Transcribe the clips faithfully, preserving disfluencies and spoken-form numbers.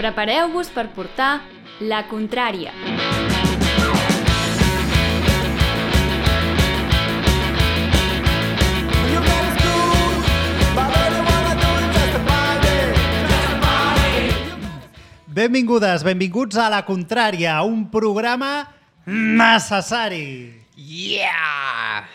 Prepareu-vos per portar la contrària. Benvingudes, benvinguts a La Contrària, un programa necessari. Yeah!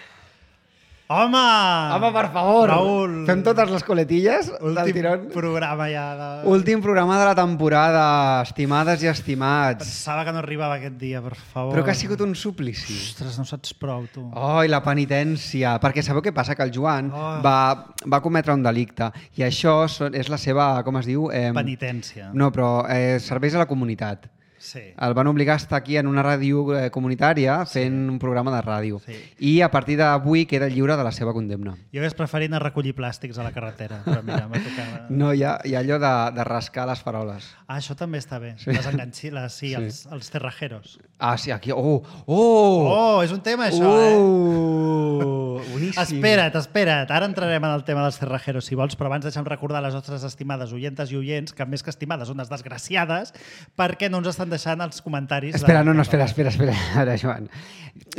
Home! Home, per favor! Raül! Fem totes les coletilles del Últim tirón. programa ja. De... Últim programa de la temporada, estimades i estimats. Pensava que no arribava aquest dia, per favor. Però que ha sigut un suplici. Ostres, no saps prou, tu. Oh, i la penitència. Perquè sabeu què passa? Que el Joan Oh. va, va cometre un delicte i això són- és la seva, com es diu? Eh, Penitència. No, però eh, serveis a la comunitat. Sí. El van obligar a estar aquí en una ràdio eh, comunitària fent un programa de ràdio. Sí. I a partir d'avui queda lliure de la seva condemna. Jo hagués preferit anar a recollir plàstics a la carretera, però mira, me tocava... No, hi ha, hi ha allò de, de rascar les faroles. Ah, això també està bé. Sí. Les enganxiles, sí, Sí. Els, els terrajeros. Ah, sí, aquí... Oh! Oh! Oh, és un tema, això, eh? Oh! Boníssim. Espera't, espera't. Ara entrarem en el tema dels cerrajeros, si vols, però abans deixa'm recordar a les nostres estimades oientes i oients que més que estimades són unes desgraciades perquè no ens estan deixant els comentaris. Espera, de... no, no, espera, espera, espera. Ara, Joan.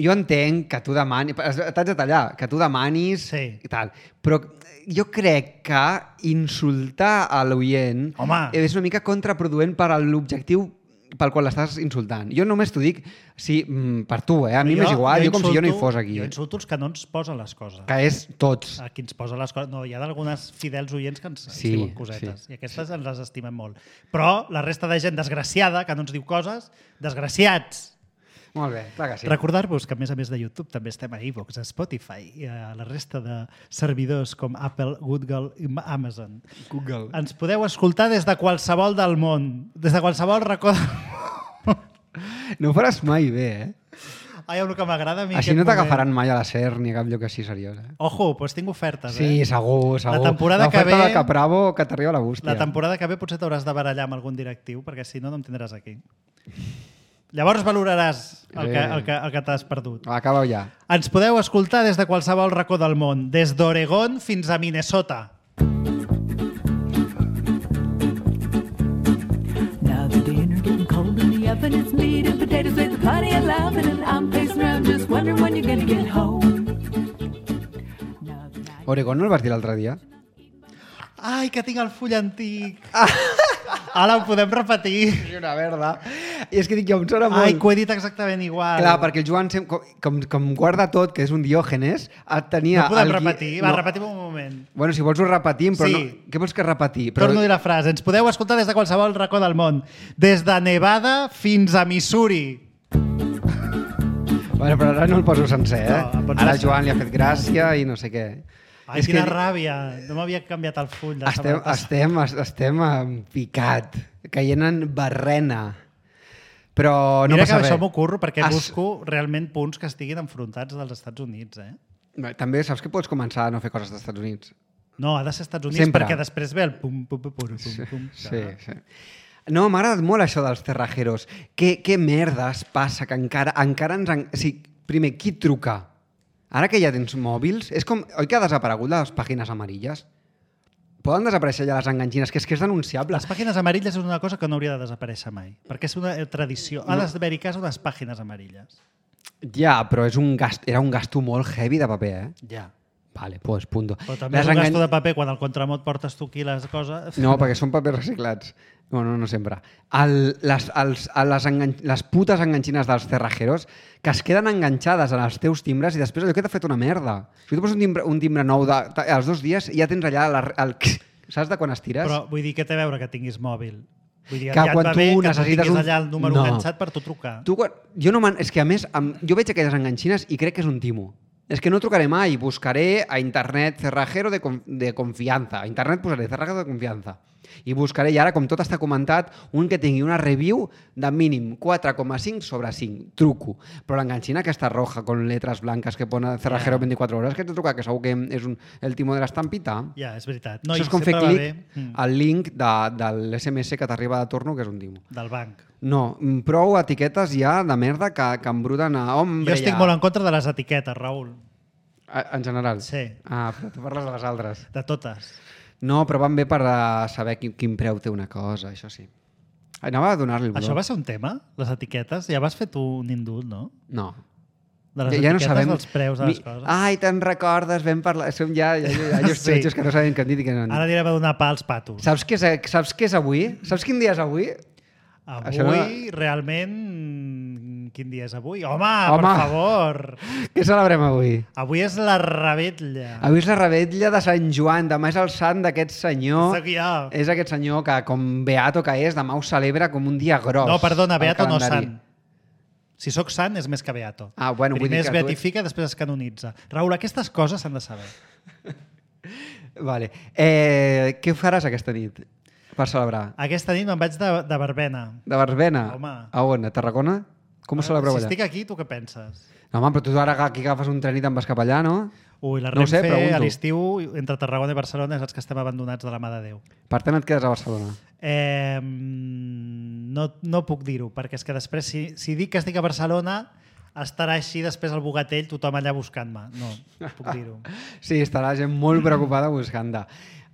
Jo entenc que tu demanis... T'haig de tallar, que tu demanis Sí. i tal, però jo crec que insultar a l'oient Home. és una mica contraproduent per a l'objectiu pel qual l'estàs insultant. Jo només t'ho dic sí, per tu, eh? A mi m'és igual, jo, jo com si jo no hi fos aquí. Jo insulto els que no ens posen les coses. Que és tots. A qui ens posa les coses. No, hi ha d'algunes fidels oients que ens, ens Sí, diuen cosetes. sí, I aquestes sí. ens les estimem molt. Però la resta de gent desgraciada que no ens diu coses, desgraciats. Molt bé, clar que sí. Recordar-vos que, a més a més de YouTube, també estem a iVoox, a Spotify i a la resta de servidors com Apple, Google i Amazon. Google. Ens podeu escoltar des de qualsevol del món, des de qualsevol racó del món. No ho faràs mai bé, eh? Ai, el que m'agrada a mi Així aquest no moment. t'agafaran mai a la SER ni a cap lloc així seriós, eh? Ojo, doncs tinc ofertes, Sí, eh? segur, segur. La temporada que L'oferta ve- de Capravo que t'arriba a la bústia. La temporada que ve potser t'hauràs de barallar amb algun directiu, perquè si no, no em tindràs aquí. Llavors valoraràs el que, el que, el que t'has perdut. Acaba ja. Ens podeu escoltar des de qualsevol racó del món, des d'Oregon fins a Minnesota. Now the dinner getting cold in the oven. It's meat and potatoes with the party and laughing, and I'm pacing around just wondering when you're gonna get home. Now the night- Oregon no el vas dir l'altre dia? Ai, que tinc el full antic. Ara ho podem repetir. Sí, una verda. I és que dic, jo em sona molt... Ai, que ho he dit exactament igual. Clar, perquè el Joan, sem- com, com, com guarda tot, que és un diògenes, et tenia... No podem el gui- repetir. Va, repetim un moment. Bueno, si vols ho repetim, però Sí. no... Què vols que repetir? Però... Torno a dir la frase. Ens podeu escoltar des de qualsevol racó del món. Des de Nevada fins a Missouri. Bueno, però ara no el poso sencer, eh? No, el pots ara deixar. Joan li ha fet gràcia i no sé què. Ai, És quina que ràbia. No m'havia canviat el full. De estem, setmana passada. estem, estem en picat, caient en barrena. Però no Mira passa que res. això m'ho curro perquè Has- busco realment punts que estiguin enfrontats dels Estats Units. Eh? Bé, també saps que pots començar a no fer coses dels Estats Units. No, ha de ser Estats Units Sempre. perquè després ve el pum, pum, pum, pum, pum, Sí, pum. sí, sí. No, m'ha agradat molt això dels terrajeros. Què, què merdes passa que encara, encara ens... En... O sigui, primer, qui truca? Ara que ja tens mòbils, és com... Oi que ha desaparegut les pàgines amarilles? Poden desaparèixer ja les enganxines, que és que és denunciable. Les pàgines amarilles és una cosa que no hauria de desaparèixer mai, perquè és una tradició. Ha d'haver-hi cas unes pàgines amarilles. Ja, però és un gast... era un gasto molt heavy de paper, eh? Ja. Vale, pues punto. Però també Les és un engan- gasto de paper quan al contramot portes tu aquí les coses. No, perquè són papers reciclats. No, no, no sempre. El, les, els, a les, engan... les putes enganxines dels cerrajeros que es queden enganxades en els teus timbres i després allò que t'ha fet una merda. Si tu poses un timbre, un timbre nou de, als dos dies ja tens allà la, el... Saps de quan estires? Però vull dir, què té a veure que tinguis mòbil? Vull dir, Que ja et quan va bé tu que tu necessites tinguis un- allà el número No. enganxat per tu trucar. Tu, quan- jo no man... És que a més, amb... jo veig aquelles enganxines i crec que és un timo. És que no trucaré mai, buscaré a internet cerrajero de, con... de confianza. A internet posaré cerrajero de confianza. I buscaré, i ara, com tot està comentat, un que tingui una review de mínim quatre coma cinc sobre cinc. Truco. Però l'enganxina aquesta roja, con letras blancas que pone cerrajero Ja. veinticuatro horas, que t'he trucat, que segur que és un... el timo de l'estampita. Ja, és veritat. No, No, Això i és com fer sempre va clic bé, mm, al link de, de l'S M S que t'arriba de torno, que és un timo. del banc. No, mm, prou etiquetes ja de merda que, que embruten a... Hombre, Jo estic ja. molt en contra de les etiquetes, Raül. A- En general? Sí. Ah, però tu parles de les altres. De totes. No, però van bé per uh, saber quin, quin preu té una cosa, això sí. Anava a donar-li el bro. Això va ser un tema? Les etiquetes? Ja vas fer tu un indult, no? No. De les Ja, ja no etiquetes sabem... dels preus de les Mi- coses. Ai, te'n recordes, vam parlar... Som ja, ja, ja, ja Sí. sí. que no sabem què han dit i què no han dit. Ara anirem a donar pa als patos. Saps què, és, saps què és avui? Saps quin dia és avui? Avui, Això no- realment... Quin dia és avui? Home, Home. per favor! Què celebrem avui? Avui és la revetlla. Avui és la revetlla de Sant Joan, demà és el sant d'aquest senyor. Sóc jo. És aquest senyor que, com beato que és, demà ho celebra com un dia gros. No, perdona, al beato no calendari. sant. Si sóc sant és més que beato. Ah, bueno, vull Primer dir es que tu- beatifica, després es canonitza. Raül, aquestes coses s'han de saber. Vale. Eh, què faràs aquesta nit per celebrar? Aquesta nit me'n vaig de, de verbena. De Barbena? Home. A on? A Tarragona? Com ho celebreu si allà? estic aquí, tu què penses? No, home, però tu ara aquí agafes un tren i te'n vas cap allà, no? Ui, la No ho sé, Renfe pregunto. a l'estiu, entre Tarragona i Barcelona, saps que estem abandonats de la mà de Déu. Per tant, et quedes a Barcelona. Eh, no, no puc dir-ho, perquè és que després, si, si dic que estic a Barcelona, estarà així després al Bogatell, tothom allà buscant-me. No, no puc dir-ho. Sí, estarà la gent molt preocupada buscant-te.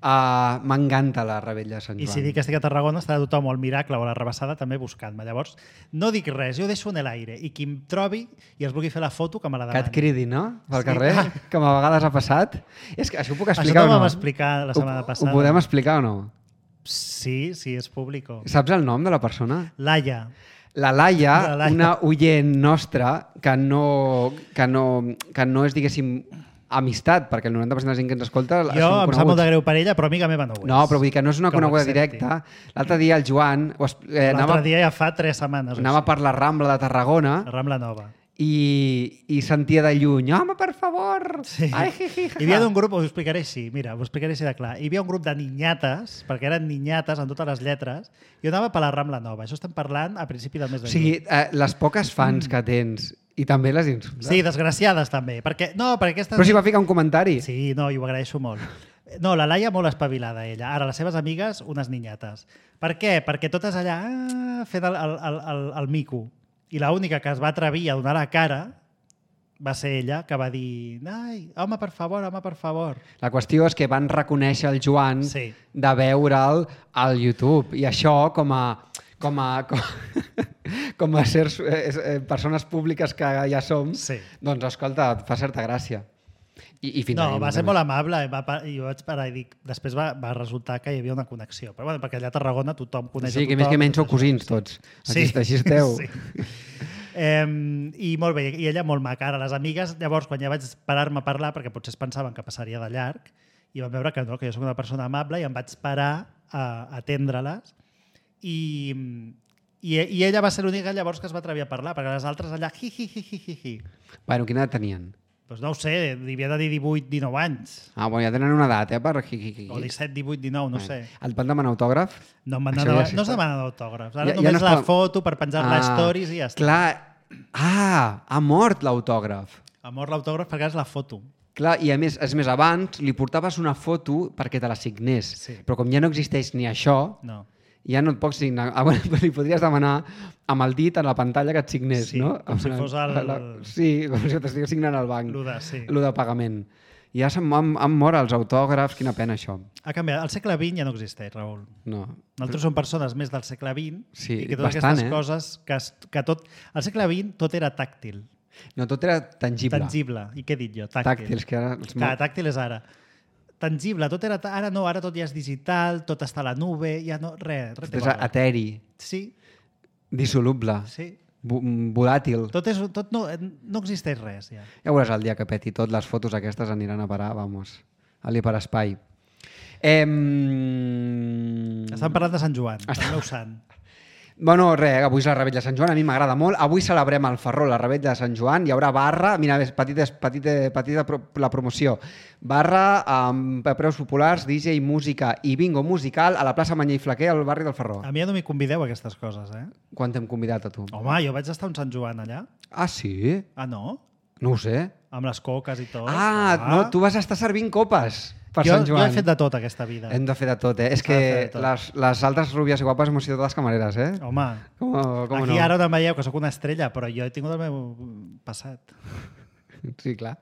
Uh, M'encanta la rebella de Sant I Joan. si dic que estic a Tarragona, estarà tothom o al Miracle o a la Rebassada també buscant-me. Llavors, no dic res, jo ho deixo en l'aire. I qui em trobi i es vulgui fer la foto, que me la Que et demani. cridi, no? Pel Sí. carrer, com a vegades ha passat. És que això ho puc Això explicar no o ho no? vam explicar la setmana ho, passada. Ho podem explicar o no? Sí, sí, és público. Saps el nom de la persona? Laia. La Laia, La Laia. una oient nostra que no, que no, que no és, diguéssim, amistat, perquè el noranta per cent de la gent que ens escolta Jo són em sap molt coneguts. de greu per ella, però amiga meva no ho és. No, però vull dir que no és una Que ho coneguda accepti. directa. L'altre dia el Joan ho es- eh, anava, L'altre dia ja fa tres setmanes. o anava així. per la Rambla de Tarragona La Rambla Nova. i, i sentia de lluny, home, per favor! Sí. Ai, ji, ji, ja, Hi havia ja. un grup, us ho explicaré així, mira, us ho explicaré així de clar. Hi havia un grup de niñates, perquè eren niñates en totes les lletres, i jo anava per la Rambla Nova. Això estem parlant a principi del mes de O sigui, eh, les poques fans que tens i també les insultes. Sí, desgraciades també. Perquè, no, perquè aquestes... Però si va ficar un comentari. Sí, no, i ho agraeixo molt. No, la Laia molt espavilada, ella. Ara, les seves amigues, unes niñates. Per què? Perquè totes allà ah, fent el, el, el, el, el mico. I l'única que es va atrevir a donar la cara va ser ella, que va dir ai, home, per favor, home, per favor. La qüestió és que van reconèixer el Joan Sí. de veure'l al YouTube. I això, com a, com a, com, com a ser, eh, eh, persones públiques que ja som, Sí. doncs, escolta, et fa certa gràcia. I, i fins No, ahí, va més ser o molt menys. amable. i Va, pa- i jo vaig parar i dic... Després va, va resultar que hi havia una connexió. Però bueno, perquè allà a Tarragona tothom coneix Sí, a que tothom. més que menys sou tot això. cosins tots. Sí. Així, així esteu. Sí. Eh, I molt bé, i ella molt maca. Ara, les amigues, llavors, quan ja vaig parar-me a parlar, perquè potser es pensaven que passaria de llarg, i van veure que no, que jo soc una persona amable, i em vaig parar a atendre-les. I, i, I ella va ser l'única llavors que es va atrevir a parlar, perquè les altres allà, hi, hi, hi, hi, hi, hi. Bueno, quina edat tenien? Pues no ho sé, devia de dir divuit, dinou anys. Ah, bueno, ja tenen una edat, eh? Per... Hi, hi, hi. O disset, divuit, dinou, no sé. Et van demanar autògraf? No, em van Això demanar, ja sí no es està. demanen autògrafs. Ara Ja- ja només no es la poden- foto per penjar-la a stories i ja està. Clar. Ah, ha mort l'autògraf. Amor l'autògraf perquè és la foto. Clar, i a més, és més, abans li portaves una foto perquè te la signés. Sí. Però com ja no existeix ni això, No. ja no et pots signar. Ah, bueno, però li podries demanar amb el dit en la pantalla que et signés, Sí, no? com si Amb fos la- el- la- Sí, com si t'estigués signant al banc. Lo de- sí. Lo de pagament. I ja se'n han, han mort els autògrafs, quina pena això. Ha canviat. El segle vint ja no existeix, Raül. No. Nosaltres som persones més del segle vint Sí, i que totes bastant, aquestes eh? coses que, es- que tot... Al segle vint tot era tàctil, No, tot era tangible. tangible. I què he dit jo? Tàctil. Tàctils, que ara... Els Clar, mo- tàctil és ara. Tangible, tot era... ta- Ara no, ara tot ja és digital, tot està a la nube, ja no... Res, res té és valor. eteri, Sí, dissoluble, sí. vo- volàtil. Tot, és, tot no, no existeix res, ja. Ja veuràs el dia que peti tot, les fotos aquestes aniran a parar, vamos, a l'hiperespai. Eh, Estan parlant de Sant Joan, el meu sant. Bueno, res, avui és la Rebella de Sant Joan, a mi m'agrada molt. Avui celebrem al Ferró la Rebella de Sant Joan, hi haurà barra, mira, ves, petita, petita, petita pro, la promoció, barra amb preus populars, D J, música i bingo musical a la plaça Manyer i Flaquer, al barri del Ferró. A mi ja no m'hi convideu a aquestes coses, eh? Quan t'hem convidat a tu? Home, jo vaig estar a un Sant Joan allà. Ah, sí? Ah, no? No ho sé. Amb les coques i tot. Ah, no, tu vas estar servint copes per jo, Sant Joan. Jo he fet de tot aquesta vida. Hem de fer de tot, eh? És S'ha que de fer de tot. les, les altres rúbies i guapes hemos sido totes camareres, eh? Home, Com, com aquí no? ara no em veieu que sóc una estrella, però jo he tingut el meu passat. Sí, clar.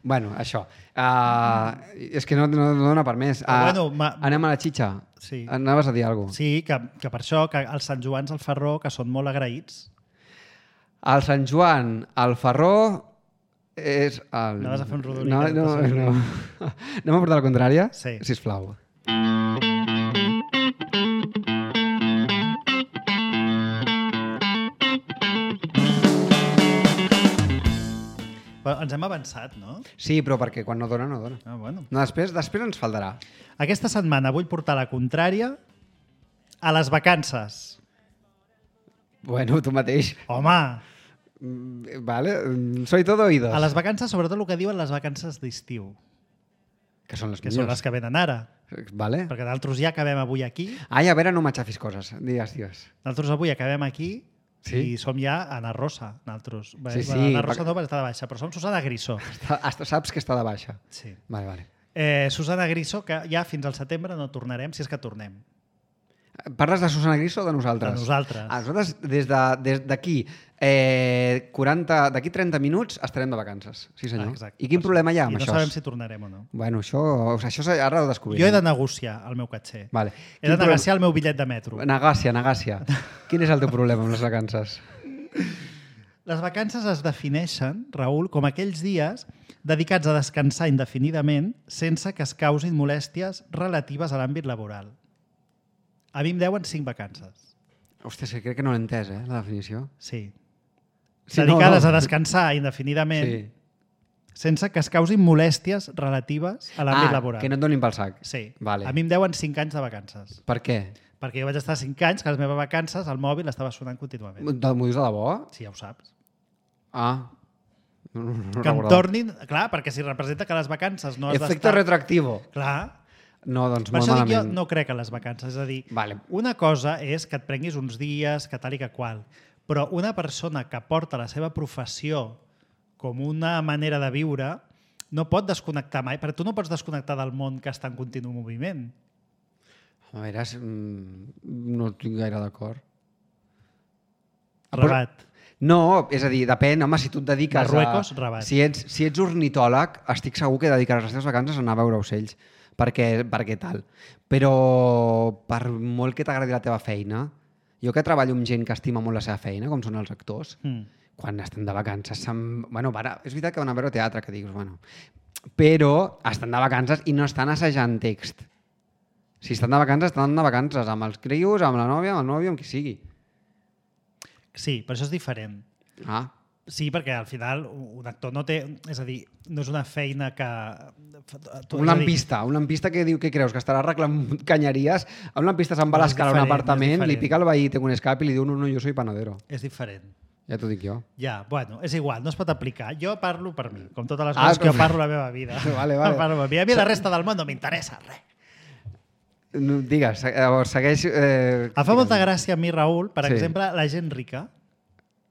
Bueno, això. Uh, és que no, no, no dona per més. Uh, bueno, ma- anem a la xitxa. Sí. Anaves a dir alguna cosa. Sí, que, que per això, que els Sant Joans al Ferró, que són molt agraïts, El Sant Joan, el Ferró, és el... Anaves a fer un rodolí, No, que no, no no. no. Anem a portar la contrària? Sí. Sisplau. però ens hem avançat, no? Sí, però perquè quan no dona, no dona. Ah, bueno. No, després, després ens faltarà. Aquesta setmana vull portar la contrària a les vacances. Bueno, tu mateix. Home, Mm, Vale, mm, soy todo oídos. a les vacances, sobretot el que diuen les vacances d'estiu, Que són les que són les millors. que venen ara. Vale. Perquè nosaltres ja acabem avui aquí, Ai, a veure, no m'aixafis coses. Digues, digues. nosaltres avui acabem aquí Sí? i som ja a Ana Rosa, nosaltres. Bé, Sí, sí, bueno, Ana Rosa perquè- no, perquè està de baixa, però som Susana Griso. Està- hasta Saps que està de baixa. Sí. Vale, vale. Eh, Susana Griso, que ja fins al setembre no tornarem, si és que tornem. Parles de Susana Griso o de nosaltres? De nosaltres. Ah, nosaltres, des de- des d'aquí, eh, quaranta, d'aquí trenta minuts estarem de vacances. Sí, senyor. Ah, exacte. I quin problema hi ha amb I no això? sabem si tornarem o no. Bueno, això, això ara ho descobrirem. Jo he de negociar el meu caché. Vale. He Quin de problema- negociar el meu bitllet de metro. Negàcia, negàcia. Quin és el teu problema amb les vacances? Les vacances es defineixen, Raül, com aquells dies dedicats a descansar indefinidament sense que es causin molèsties relatives a l'àmbit laboral. A mi em deuen cinc vacances. Hòstia, és que crec que no l'he entès, eh, la definició. Sí. Sí, Dedicades no, no. a descansar indefinidament Sí. sense que es causin molèsties relatives a l'àmbit Ah, laboral. que no et donin pel sac. Sí. Vale. A mi em deuen cinc anys de vacances. Per què? Perquè jo vaig estar cinc anys que les meves vacances el mòbil estava sonant contínuament. De- M'ho dius de debò? Sí, ja ho saps. Ah. No, no, no Que em recordava. tornin... Clar, perquè si representa que les vacances no has Efecte d'estar... retroactivo. Clar. No, doncs Per molt això dic jo malament. no crec en les vacances. És a dir, Vale. una cosa és que et prenguis uns dies, que tal i que qual, però una persona que porta la seva professió com una manera de viure no pot desconnectar mai, perquè tu no pots desconnectar del món que està en continu moviment. A veure, és- mm, no estic gaire d'acord. Rabat. No, és a dir, depèn, home, si tu et dediques Marruecos, a... Rabat. Si ets, si ets ornitòleg, estic segur que dedicaràs les teves vacances a anar a veure ocells, perquè, perquè tal. Però per molt que t'agradi la teva feina, jo que treballo amb gent que estima molt la seva feina, com són els actors, Mm. quan estan de vacances, se'n... bueno, para... és veritat que van a veure teatre, que dius, bueno, però estan de vacances i no estan assajant text. Si estan de vacances, estan de vacances amb els crios, amb la nòvia, amb el nòvio, amb qui sigui. Sí, però això és diferent. Ah, Sí, perquè al final un actor no té... És a dir, no és una feina que... un lampista, un lampista que diu que creus que estarà arreglant canyeries, un lampista se'n va a No, és l'escala a un diferent, apartament, és li diferent. pica el veí, té un escape i li diu no, no, jo soy panadero. És diferent. Ja t'ho dic jo. Ja, bueno, és igual, no es pot aplicar. Jo parlo per mi, com totes les Ah, coses que jo com- parlo a la meva vida. Vale, vale. Parlo per mi. A mi la resta del món no m'interessa res. No, digues, se- llavors segueix... Eh, Em fa molta gràcia a mi, Raül, per Sí. exemple, la gent rica.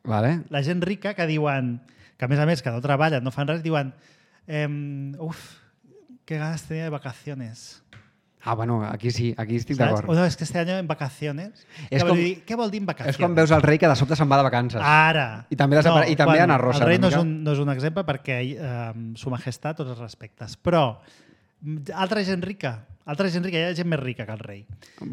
Vale. La gent rica que diuen, que a més a més que no treballen, no fan res, diuen ehm, uf, que ganas tenía de vacaciones. Ah, bueno, aquí sí, aquí estic Saps? d'acord. O no, és que este año en vacaciones. És Què, com- vol dir, què vol dir en vacaciones? És quan veus el rei que de sobte se'n va de vacances. Ara. I també desapare- i també bueno, Ana Rosa, El rei una no és, mica. un, no és un exemple perquè eh, su majestat, tots els respectes. Però mm, altra gent rica, altra gent rica, hi ha gent més rica que el rei.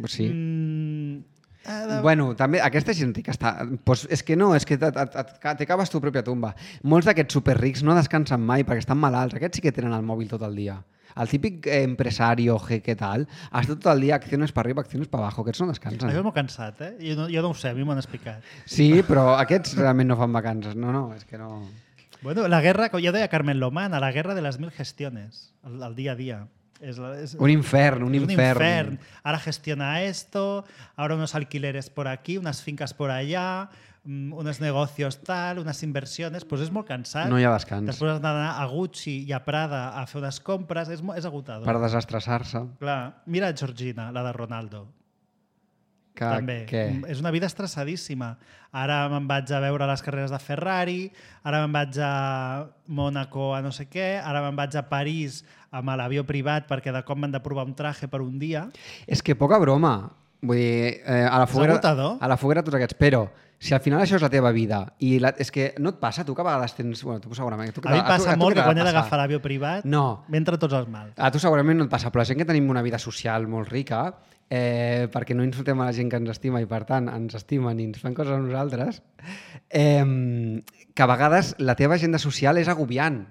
Sí. Mm, ha de... Bueno, també aquesta gent que està... Pues és que no, és que et- et- et- t'acaves tu pròpia tumba. Molts d'aquests superrics no descansen mai perquè estan malalts. Aquests sí que tenen el mòbil tot el dia. El típic eh, empresario, jeque tal, està tot el dia acciones per arriba, acciones per abajo. Aquests no descansen. Això és molt cansat, eh? Jo no, jo no ho sé, a mi m'ho han explicat. Sí, però aquests realment no fan vacances. No, no, és que no... Bueno, la guerra, com ja deia Carmen Lomán, a la guerra de les mil gestiones, el, el dia a dia. És, la- és, Un infern, un es un infern. infern. Ahora gestiona esto, ahora unos alquileres por aquí, unas fincas por allá, mm, unos negocios tal, unas inversiones, pues és molt cansat. No hi ha descans. Després has d'anar a Gucci i a Prada a fer unes compres, és, mo- és agotador. Per desestressar-se. Clar, mira Georgina, la de Ronaldo. Que, També. Què? És una vida estressadíssima. Ara me'n vaig a veure les carreres de Ferrari, ara me'n vaig a Mònaco a no sé què, ara me'n vaig a París amb l'avió privat perquè de cop m'han de provar un traje per un dia. És que poca broma. Vull dir, eh, a la foguera... agotador. A la foguera tots aquests, però si al final això és la teva vida i la, és que no et passa, tu que a vegades tens... Bueno, tu segurament... Tu, A mi em passa a tu, a tu molt què que quan he t'ha de d'agafar passar? l'avió privat No. m'entra tots els mals. A tu segurament no et passa, però la gent que tenim una vida social molt rica, eh, perquè no insultem a la gent que ens estima i, per tant, ens estimen i ens fan coses a nosaltres, eh, que a vegades la teva agenda social és agobiant.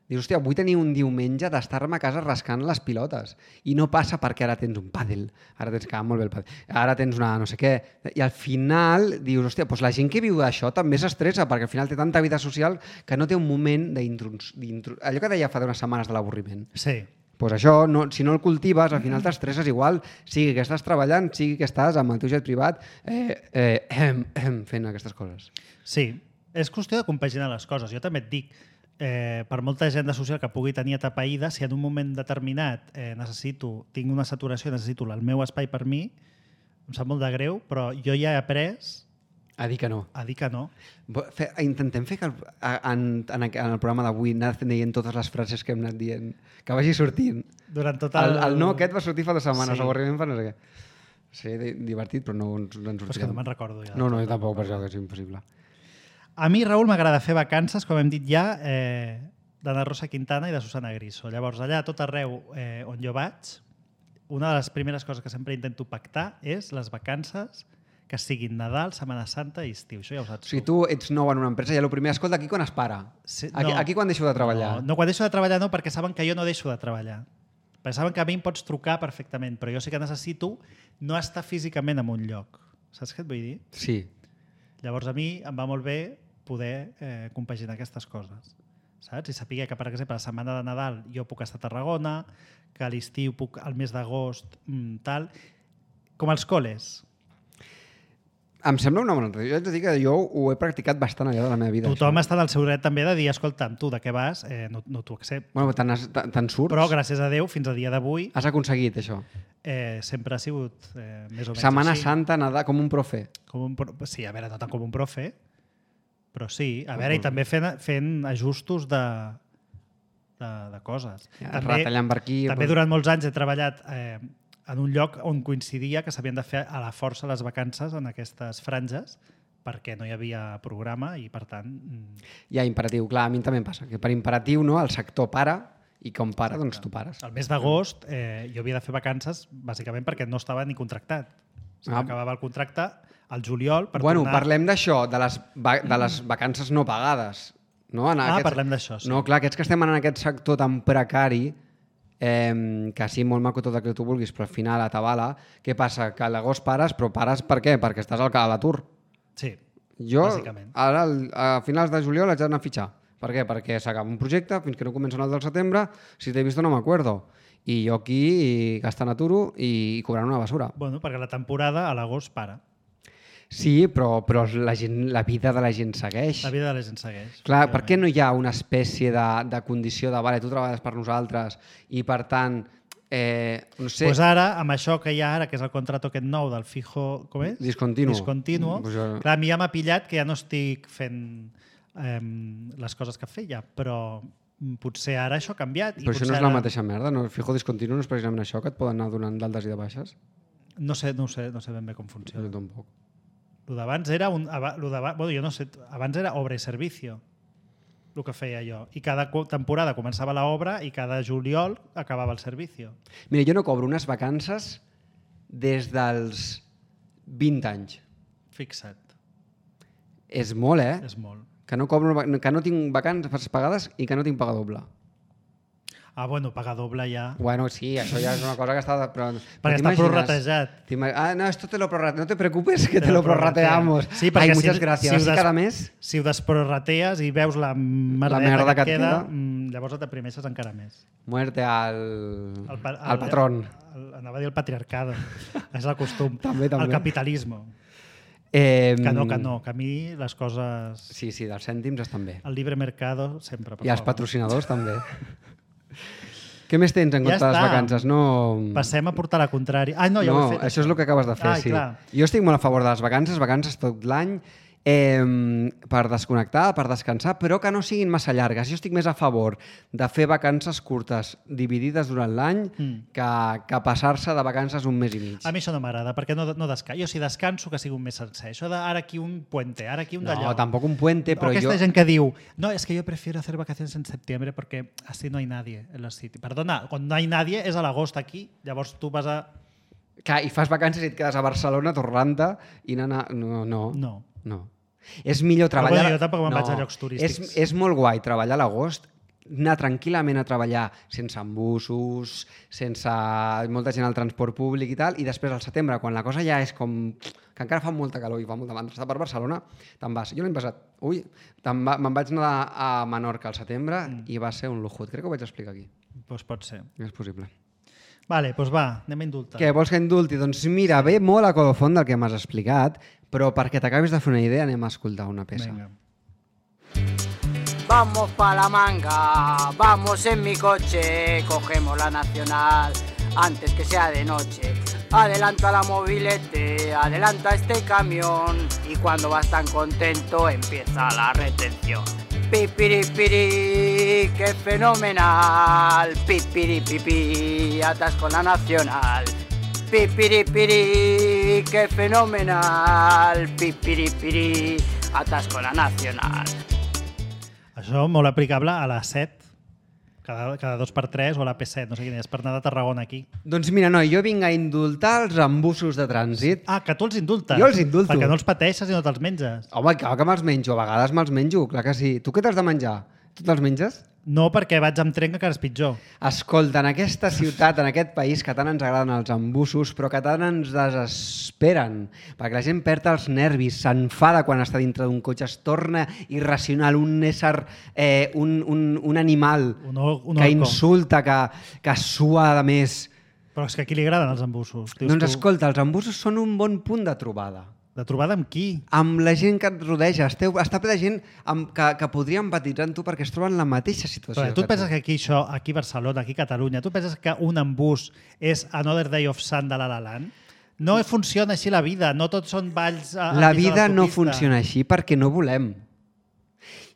Dius, hòstia, vull tenir un diumenge d'estar-me a casa rascant les pilotes. I no passa perquè ara tens un pàdel, ara tens que molt bé el pàdel, ara tens una no sé què. I al final dius, hòstia, doncs la gent que viu d'això també s'estressa perquè al final té tanta vida social que no té un moment d'introducció. Allò que deia fa unes setmanes de l'avorriment. Sí. Pues això, no, si no el cultives, al final t'estresses igual, sigui que estàs treballant, sigui que estàs amb el teu jet privat eh, eh, eh, eh, fent aquestes coses. Sí, és qüestió de compaginar les coses. Jo també et dic, eh, per molta agenda social que pugui tenir atapeïda, si en un moment determinat eh, necessito, tinc una saturació, necessito el meu espai per mi, em sap molt de greu, però jo ja he après A dir que no. a dir que no. Fe, intentem fer que el, en, en, en el programa d'avui anar dient totes les frases que hem anat dient, que vagi sortint. Durant tot el... El, el no aquest va sortir fa dues setmanes, Sí. avorriment fa no sé què. Sí, di- divertit, però no ens, no ens Però és que sortirem. no me'n recordo ja. No, no, jo tampoc, per això que és impossible. A mi, Raül, m'agrada fer vacances, com hem dit ja, eh, d'Anna Rosa Quintana i de Susana Griso. Llavors, allà, a tot arreu eh, on jo vaig, una de les primeres coses que sempre intento pactar és les vacances que siguin Nadal, Setmana Santa i estiu. Això ja ho O saps sigui, tu ets nou en una empresa i el primer, escolta, aquí quan es para? Sí, aquí, no. aquí quan deixo de treballar? No, no, quan deixo de treballar no, perquè saben que jo no deixo de treballar. Perquè saben que a mi em pots trucar perfectament, però jo sí que necessito no estar físicament en un lloc. Saps què et vull dir? Sí. Llavors a mi em va molt bé poder eh, compaginar aquestes coses. Saps? I saber que, per exemple, la setmana de Nadal jo puc estar a Tarragona, que a l'estiu puc, al mes d'agost, mm, tal... Com els col·les. Em sembla una bona notícia. Jo haig de dir que jo ho he practicat bastant allà de la meva vida. Tothom això. està en el seu dret també de dir, escolta'm, tu de què vas? Eh, no no t'ho accepto. Bueno, te'n has- te- te'n surts? Però, gràcies a Déu, fins a dia d'avui, Has aconseguit això. eh, sempre ha sigut eh, més o menys Setmana així. Santa, Nadal, com un profe. Com un, pro- sí, a veure, no tant com un profe, però sí. A veure, i també fent, fent ajustos de, de, de coses. Ja, retallant per aquí, També per- durant molts anys he treballat eh, en un lloc on coincidia que s'havien de fer a la força les vacances en aquestes franges perquè no hi havia programa i, per tant... mm, Ja, imperatiu. Clar, a mi també em passa. Que per imperatiu, no, el sector para i com para, doncs tu pares. El mes d'agost eh, jo havia de fer vacances bàsicament perquè no estava ni contractat. Se Ah. m'acabava el contracte al juliol per Bueno, tornar... parlem d'això, de, les va- de les vacances no pagades. No? En Ah, parlem d'això, sí. No, clar, aquests que estem en aquest sector tan precari, eh, que sí, molt maco tot el que tu vulguis, però al final a tabala, què passa? Que a l'agost pares, però pares per què? Perquè estàs al a l'atur. Sí, Jo, bàsicament. ara, al- a finals de juliol haig d'anar a fitxar. Per què? Perquè s'acaba un projecte, fins que no comença el del setembre, si t'he vist no m'acuerdo. I jo aquí gastant aturo i cobrant una basura. Bueno, perquè la temporada a l'agost para. Sí, però, però la, gent, la vida de la gent segueix. La vida de la gent segueix. Clar, per què no hi ha una espècie de, de condició de vale, tu treballes per nosaltres i per tant, eh, no sé, Pues ara, amb això que hi ha ara, que és el contrato aquest nou del fijo... Com és? Discontinuo. Discontinuo. Pues jo- Clar, a mi ja m'ha pillat que ja no estic fent eh, les coses que feia, però mm, potser ara això ha canviat. però i això no potser és la ara- mateixa merda, no? El fijo discontinu no és precisament això, que et poden anar donant d'altes i de baixes? No sé, no ho sé, no sé ben bé com Jo funciona. tampoc. Lo d'abans era un... aba- Lo d'abans, bueno, jo no sé, abans era obra i servicio, el que feia jo. I cada co- temporada començava l'obra i cada juliol acabava el servicio. Mira, jo no cobro unes vacances des dels vint anys. Fixa't, És molt, eh? és molt. Que no, cobro, que no tinc vacances pagades i que no tinc paga doble. Ah, bueno, pagar doble ja... Bueno, sí, això ja és una cosa que està... Però, però Perquè està t'imagines- prorratejat. t'ima- Ah, no, esto te lo prorrate. No te preocupes que te, Te lo lo prorratean. prorrateamos. Sí, perquè Ai, si- muchas gracias. si ho Así des- cada mes... Si ho desprorratees i veus la merdeta La merda que, que et et queda, queda. mm, llavors et deprimeixes encara més. Muerte al, El, pa- al patrón. El, anava a dir el patriarcado. És el costum. També, també. El capitalisme. Eh, Que no, que no. Que a mi les coses... Sí, sí, dels cèntims estan bé. El libre mercado sempre. Per I els favor. patrocinadors també. Què més tens en Ja compte de les està. vacances? No... Passem a portar la contrària. Ah, no, ja no, ho he fet. això és el que acabes de fer, ah, sí. Clar. Jo estic molt a favor de les vacances, vacances tot l'any. eh, per desconnectar, per descansar, però que no siguin massa llargues. Jo estic més a favor de fer vacances curtes dividides durant l'any mm. que, que passar-se de vacances un mes i mig. A mi això no m'agrada, perquè no, no descanso. Jo si descanso que sigui un mes sencer. Això de ara aquí un puente, ara aquí un d'allò. No, tampoc un puente, però o aquesta jo... gent que diu, no, es que yo prefiero hacer vacaciones en septiembre porque así no hay nadie en los sitios. Perdona, quan no hay nadie és a l'agost aquí, llavors tu vas a... Clar, i fas vacances i et quedes a Barcelona, tornant-te i anar... No, no. No. no. És millor treballar... Però bueno, jo tampoc me'n no. vaig a llocs turístics. És, és molt guai treballar a l'agost, anar tranquil·lament a treballar sense embussos, sense molta gent al transport públic i tal, i després al setembre, quan la cosa ja és com... que encara fa molta calor i fa molta mandra, està per Barcelona, te'n vas. Jo l'any passat, ui, va, me'n vaig anar a Menorca al setembre mm. i va ser un lujut. Crec que ho vaig explicar aquí. Pues pot ser. És possible. Vale, doncs va, anem a indultar. Què, vols que indulti? Doncs mira, ve molt a colofon del que m'has explicat, però perquè t'acabis de fer una idea anem a escoltar una peça. Venga. Vamos pa la manga, vamos en mi coche, cogemos la nacional antes que sea de noche. Adelanta la mobilete, adelanta este camión y cuando vas tan contento empieza la retención. Pipiripiri, qué fenomenal, pipiripipi, atasco la nacional. Pipiripiri, qué fenomenal, pipiripiri, atasco la nacional. Això molt aplicable a la set, cada, cada dos per tres o a la P set, no sé quina és, per anar de Tarragona aquí. Doncs mira, no, jo vinc a indultar els embussos de trànsit. Ah, que tu els indultes? Jo els indulto. Perquè no els pateixes i no te'ls menges. Home, clar que me'ls menjo, a vegades me'ls menjo, clar que sí. Tu què t'has de menjar? Tu te'ls menges? No, perquè vaig amb tren, que encara és pitjor. Escolta, en aquesta ciutat, en aquest país, que tant ens agraden els embussos, però que tant ens desesperen, perquè la gent perd els nervis, s'enfada quan està dintre d'un cotxe, es torna irracional, un ésser, eh, un, un, un animal un, un que insulta, que, que sua de més. Però és que a qui li agraden els embussos? Dius Doncs tu... escolta, els embussos són un bon punt de trobada. De trobada amb qui? Amb la gent que et rodeja. Esteu, està ple de gent amb, que, que podria empatitzar amb tu perquè es troben en la mateixa situació. Però tu et penses que aquí això, aquí a Barcelona, aquí a Catalunya, tu penses que un embús és Another Day of Sun de La La Land? No funciona així la vida, no tots són balls a, a La vida no funciona així perquè no volem.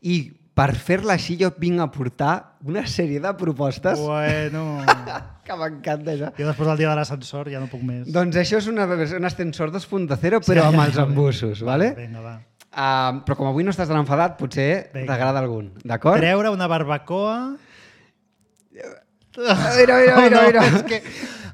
I per fer-la així jo vinc a portar una sèrie de propostes bueno. que m'encanta això. Jo després del dia de l'ascensor ja no puc més. Doncs això és una, un ascensor dos punt zero però sí, amb els embussos, vale? Vinga, va. Uh, però com avui no estàs tan enfadat, potser t'agrada algun, d'acord? Treure una barbacoa... Mira, mira, mira, no, mira. És que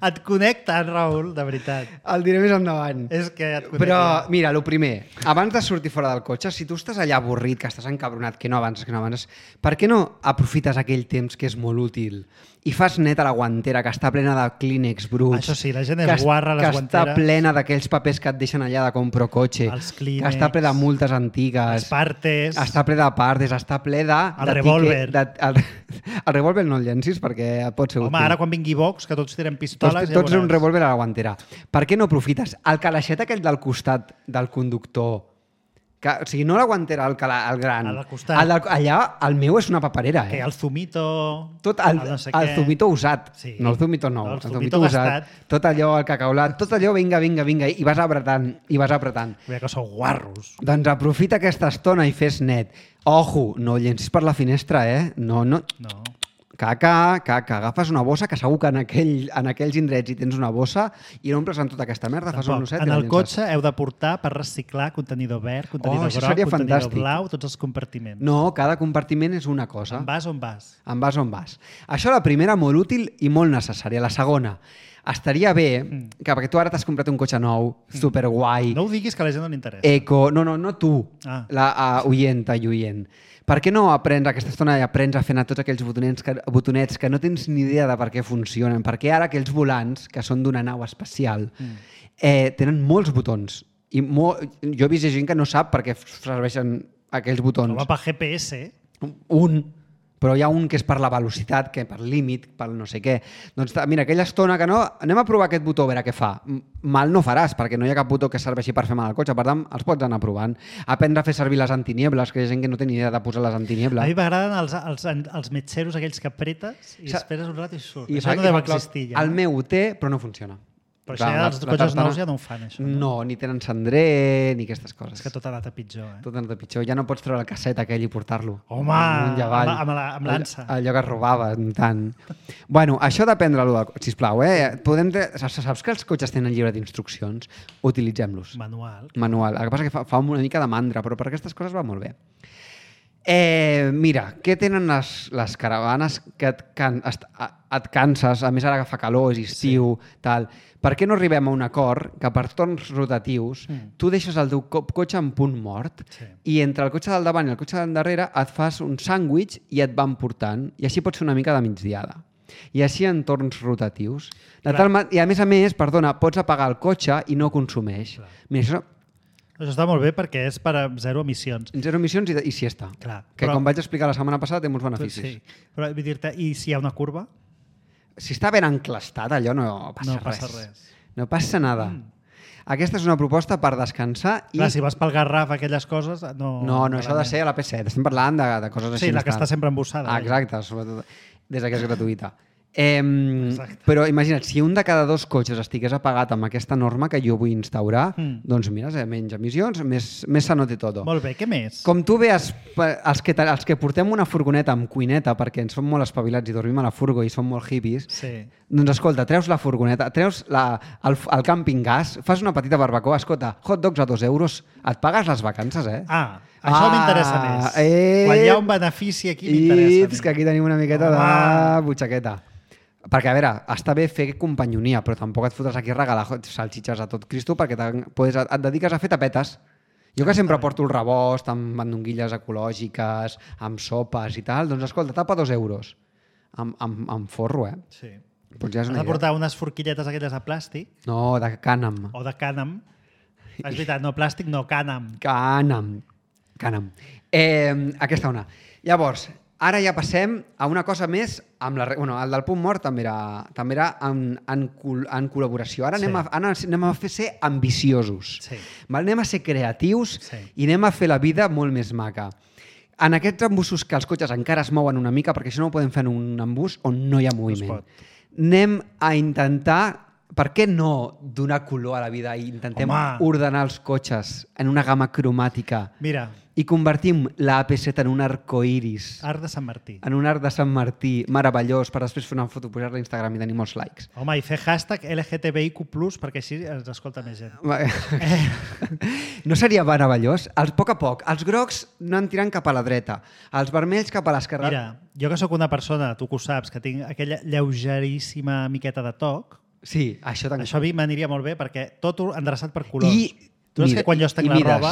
et connecta, Raül, de veritat. El diré més endavant. És que et connecta. Però, mira, el primer, abans de sortir fora del cotxe, si tu estàs allà avorrit, que estàs encabronat, que no avances, que no avances, per què no aprofites aquell temps que és molt útil i fas net a la guantera, que està plena de clínex bruts? Això sí, la gent és guarra a les guanteres. Que guanteres. està plena d'aquells papers que et deixen allà de compro cotxe. Els clínex. Que està ple de multes antigues. Els partes. Està ple de partes, està ple de... El revòlver. De, el, el revòlver no el llencis perquè pot ser Home, útil. ara quan vingui Vox, que tots tiren pistoles... Tots, tots ja un revòlver a la guantera. Per què no aprofites el calaixet aquell del costat del conductor? Que, o sigui, no la guantera, el, cala, el gran. Al costat. El, allà, el meu és una paperera, eh? Que el zumito... Tot el, el, no sé el zumito usat. Sí. No el zumito nou, no, el, el zumito, zumito usat. gastat. Tot allò, el cacaulat, tot allò, vinga, vinga, vinga, i vas apretant, i vas apretant. Veia que sou guarros. Doncs aprofita aquesta estona i fes net. Ojo, no llencis per la finestra, eh? No, no... No. Caca, caca, agafes una bossa, que segur que en, aquell, en aquells indrets hi tens una bossa i no omples amb tota aquesta merda, fas un osset en i la el llences. cotxe heu de portar per reciclar contenidor verd, contenidor Oh, això groc, seria contenidor fantàstic. blau, tots els compartiments. No, cada compartiment és una cosa. En vas on vas? En vas on vas. Això la primera, molt útil i molt necessària. La segona, estaria bé, Mm. que perquè tu ara t'has comprat un cotxe nou, superguai, No ho diguis que a la gent no li interessa. eco... No, no, no tu, Ah. la uh, oienta i oient. Per què no aprens aquesta estona i aprens a fer anar tots aquells botonets que, botonets que no tens ni idea de per què funcionen? Perquè ara aquells volants, que són d'una nau especial, mm. eh, tenen molts botons. I mo jo he vist gent que no sap per què serveixen aquells botons. Home, per G P S. Un, però hi ha un que és per la velocitat, que per límit, per no sé què. Doncs mira, aquella estona que no... Anem a provar aquest botó, a veure què fa. Mal no faràs, perquè no hi ha cap botó que serveixi per fer mal al cotxe. Per tant, els pots anar provant. Aprendre a fer servir les antiniebles, que hi ha gent que no té ni idea de posar les A antiniebles. mi m'agraden els, els, els metxeros aquells que apretes i Sa- esperes un rato i surt. I Això fa- no i deu fa cloc. existir ja. El meu ho té, però no funciona. Però Clar, això ja, la- els la cotxes tartana- nous ja no ho fan, això. No, ni tenen cendrer, ni aquestes coses. És que tot ha anat a pitjor, eh? Tot ha anat a pitjor. Ja no pots treure el casset aquell i portar-lo. Home, Amunt i avall. amb- amb la- amb l'ansa. Allò, allò que es robava, tant. Bueno, això d'aprendre-lo, del- sisplau, eh? Podem tre... Saps saps que els cotxes tenen llibre d'instruccions? Utilitzem-los. Manual. Manual. El que passa que fa, fa una mica de mandra, però per aquestes coses va molt bé. Eh, mira, què tenen les, les caravanes que et, can, est, et canses, a més ara que fa calor, és estiu, sí. tal. Per què no arribem a un acord que per torns rotatius mm. tu deixes el teu co- cotxe en punt mort Sí. i entre el cotxe del davant i el cotxe del darrere et fas un sàndwich i et van portant i així pots fer una mica de migdiada. I així en torns rotatius. De tal ma... I a més a més, perdona, pots apagar el cotxe i no consumeix. Clar. Mira, això Això està molt bé perquè és per a zero emissions. zero emissions i, i siesta. Clar, Que però- com vaig explicar la setmana passada té molts beneficis. Sí. Però vull dir-te, i si hi ha una curva? Si està ben enclastat, allò no passa No res. passa res. No passa nada. Mm. Aquesta és una proposta per descansar i... Clar, si vas pel Garraf, aquelles coses... No, No, no, això ha de ser a la P set. Estem parlant de, de coses així. Sí, la que més està tal. sempre embossada. Ah, exacte, sobretot des que és gratuïta. Eh, Exacte. però imagina't, si un de cada dos cotxes estigués apagat amb aquesta norma que jo vull instaurar, Mm. doncs mira, eh, menys emissions, més, més sano té tot. Molt bé, què més? Com tu veus, els que, els que portem una furgoneta amb cuineta perquè ens som molt espavilats i dormim a la furgo i som molt hippies, Sí. doncs escolta, treus la furgoneta, treus la, el, el càmping gas, fas una petita barbacoa, escolta, hot dogs a dos euros, et pagues les vacances, eh? Ah, això Ah, m'interessa més. eh. Quan hi ha un benefici aquí I m'interessa. que aquí tenim una miqueta Home. de butxaqueta. Perquè, a veure, està bé fer companyonia, però tampoc et fotràs aquí a regalar salxitxes a tot Cristo perquè podes, et dediques a fer tapetes. Jo que sempre porto el rebost amb mandonguilles ecològiques, amb sopes i tal, doncs escolta, tapa dos euros. Amb, amb, amb forro, eh? Sí. Doncs ja és Has una de idea. portar unes forquilletes aquelles de plàstic No, de cànem. o de cànem. És veritat, no plàstic, no cànem. Cànem. Cànem. Eh, aquesta una. Llavors, ara ja passem a una cosa més amb la... re- Bueno, el del punt mort també era, també era en, en, col, en col·laboració. Ara, Sí. anem, a, ara anem a fer ser ambiciosos. Sí. Val? Anem a ser creatius Sí. i anem a fer la vida molt més maca. En aquests embussos que els cotxes encara es mouen una mica, perquè això no ho podem fer en un embús on no hi ha moviment. pot. Anem a intentar... Per què no donar color a la vida i intentem Home. ordenar els cotxes en una gamma cromàtica Mira, i convertim la A P set en un arcoiris, Art de Sant Martí. en un arc de Sant Martí meravellós per després fer una foto, pujar-la a Instagram i tenir molts likes. Home, i fer hashtag L G T B I Q plus, perquè així ens escolta més gent. No seria meravellós? Els, a poc a poc, els grocs no en tirant cap a la dreta, els vermells cap a l'esquerra. Mira, jo que sóc una persona, tu que ho saps, que tinc aquella lleugeríssima miqueta de toc, Sí, això també. això a mi m'aniria molt bé perquè tot ho endreçat per colors. I, tu saps mira, que quan jo estenc i la mides. roba,